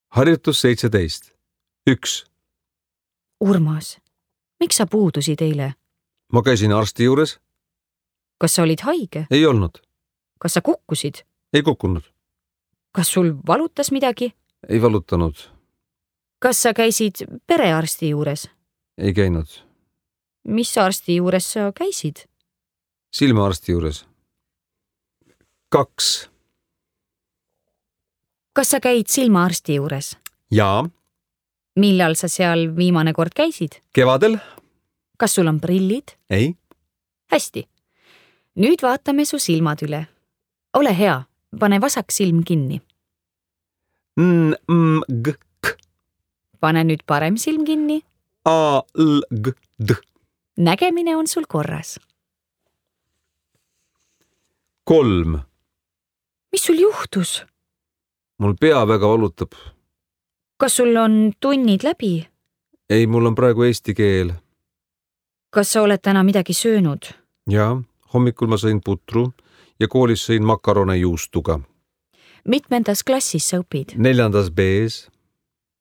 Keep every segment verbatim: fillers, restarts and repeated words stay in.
Harjutus seitseteist. Üks. Urmas, miks sa puudusid eile? Ma käisin arsti juures. Kas sa olid haige? Ei olnud. Kas sa kukkusid? Ei kukkunud. Kas sul valutas midagi? Ei valutanud. Kas sa käisid perearsti juures? Ei käinud. Mis arsti juures sa käisid? Silmaarsti juures. Kaks. Kas sa käid silmaarsti juures? Jaa. Millal sa seal viimane kord käisid? Kevadel. Kas sul on prillid? Ei. Hästi. Nüüd vaatame su silmad üle. Ole hea, pane vasak silm kinni. N, m, g, k. Pane nüüd parem silm kinni. A, l, g, d. Nägemine on sul korras. Kolm. Mis sul juhtus? Mul pea väga valutab. Kas sul on tunnid läbi? Ei, mul on praegu eesti keel. Kas sa oled täna midagi söönud? Jaa, hommikul ma sõin putru ja koolis sõin makarone juustuga. Mitmendas klassis sa õpid? Neljandas B-s.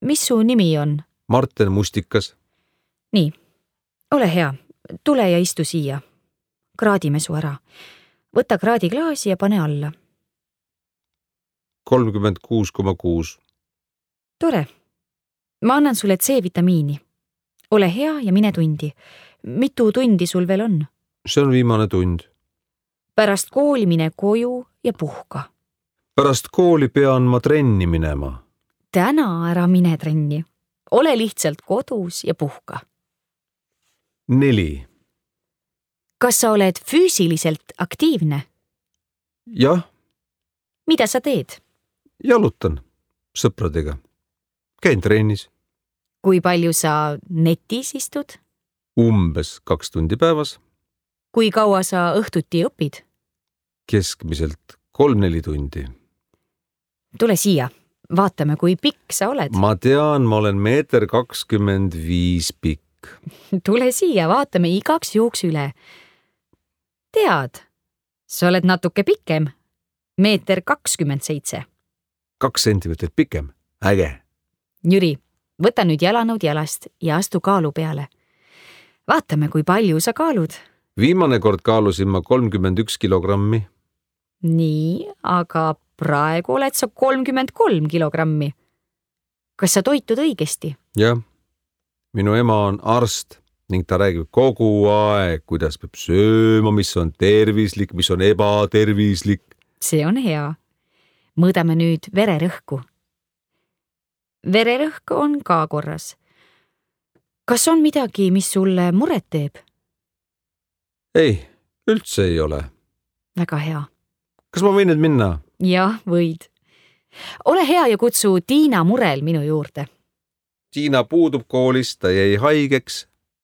Mis su nimi on? Marten Mustikas. Nii, ole hea, tule ja istu siia. Kraadime su ära. Võta kraadiklaasi ja pane alla. kolmkümmend kuus koma kuus. Tore. Ma annan sulle C-vitamiini. Ole hea ja mine tundi. Mitu tundi sul veel on? See on viimane tund. Pärast kooli mine koju ja puhka. Pärast kooli pean ma trenni minema. Täna ära mine trenni. Ole lihtsalt kodus ja puhka. Neli. Kas sa oled füüsiliselt aktiivne? Jah. Mida sa teed? Jalutan sõpradega. Käin trennis. Kui palju sa netis istud? Umbes kaks tundi päevas. Kui kaua sa õhtuti õpid? Keskmiselt kolm-neli tundi. Tule siia. Vaatame, kui pikk sa oled. Ma tean, ma olen meeter kakskümmend viis pikk. Tule siia, vaatame igaks juhuks üle. Tead, sa oled natuke pikem. Meeter kakskümmend seitse. Kaks sentimeetrit pikem. Äge. Jüri, võta nüüd jalanõud jalast ja astu kaalu peale. Vaatame, kui palju sa kaalud. Viimane kord kaalusin ma kolmkümmend üks kilogrammi. Nii, aga praegu oled sa kolmkümmend kolm kilogrammi. Kas sa toitud õigesti? Jah. Minu ema on arst ning ta räägib kogu aeg, kuidas peab sööma, mis on tervislik, mis on ebatervislik. See on hea. Mõõdame nüüd vererõhku. Vererõhk on ka korras. Kas on midagi, mis sulle muret teeb? Ei, üldse ei ole. Väga hea. Kas ma võin nüüd minna? Jah, võid. Ole hea ja kutsu Tiina Murel minu juurde. Tiina puudub koolist, ta jäi haigeks.